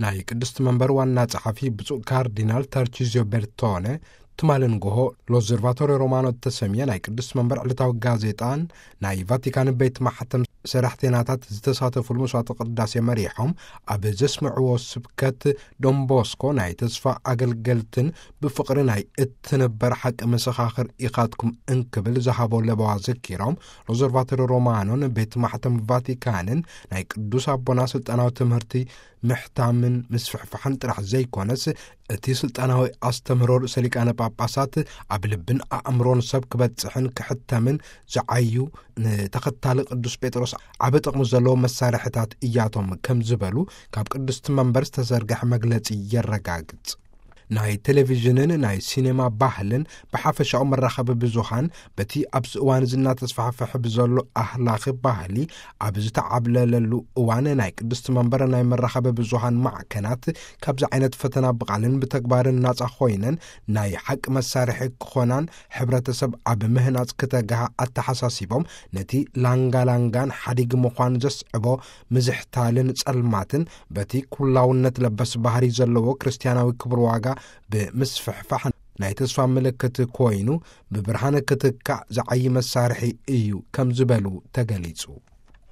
ናይ ቅድስቲ መንበር ዋና ጸሓፊ ብፁዕ ካርዲናል ታርቺዚዮ ቤርቶነ፣ ትማሊ ንጎሆ ሎዘርቫቶሪ ሮማኖ እተሰምየ ናይ ቅድስቲ መንበር ዕለታዊ ጋዜጣን ናይ ቫቲካን ቤት ማሕተም ሰራሕተናታት ዝተሳተፉሉ መስዋዕተ ቅዳሴ መሪሖም፣ ኣብ ዘስምዕዎ ስብከት፣ ዶንቦስኮ ናይ ተስፋ ኣገልገልትን ብፍቕሪ ናይ እትንበር ሓቂ መሰኻኽር ኢኻትኩም እንክብል ዝሃቦ ለበዋ ዘኪሮም፣ ሎዘርቫቶሪ ሮማኖን ቤት ማሕተም ቫቲካንን ናይ ቅዱስ ኣቦና ስልጣናዊ ትምህርቲ ምሕታምን ምስፍሕፋሕን ጥራሕ ዘይኮነስ፣ እቲ ስልጣናዊ ኣስተምህሮ ርእሰ ሊቃነ ጳጳሳት ኣብ ልብን ኣእምሮን ሰብ ክበጽሕን ክሕተምን ዝዓዩ፣ ንተኸታሊ ቅዱስ ጴጥሮስ ዓቢ ጥቕሚ ዘለዎ መሳርሕታት እያቶም ከም ዝበሉ ካብ ቅድስቲ መንበር ዝተዘርግሐ መግለጺ የረጋግጽ። ናይ ቴሌቪዥንን ናይ ሲኔማ ባህልን ብሓፈሻኡ መራኸቢ ብዙሃን በቲ ኣብዚ እዋን እዚ እናተስፋሕፍሐ ብዘሎ ኣህላኺ ባህሊ ኣብ ዝተዓብለለሉ እዋን፣ ናይ ቅድስቲ መንበር ናይ መራኸቢ ብዙሃን ማዕከናት ካብዚ ዓይነት ፈተና ብቓልን ብተግባርን ናጻ ኮይነን ናይ ሓቂ መሳርሒ ክኾናን ሕብረተሰብ ኣብ ምህናጽ ክተግሃ ኣተሓሳሲቦም፣ ነቲ ላንጋላንጋን ሓዲግ ምዃን ዘስዕቦ ምዝሕታልን ጸልማትን በቲ ኩላውነት ለበስ ባህሪ ዘለዎ ክርስትያናዊ ክብሪ ዋጋ ብምስፍሕፋሕ ናይ ተስፋ ምልክት ኮይኑ ብብርሃን ክትካእ ዝዓዪ መሳርሒ እዩ ከም ዝበሉ ተገሊጹ።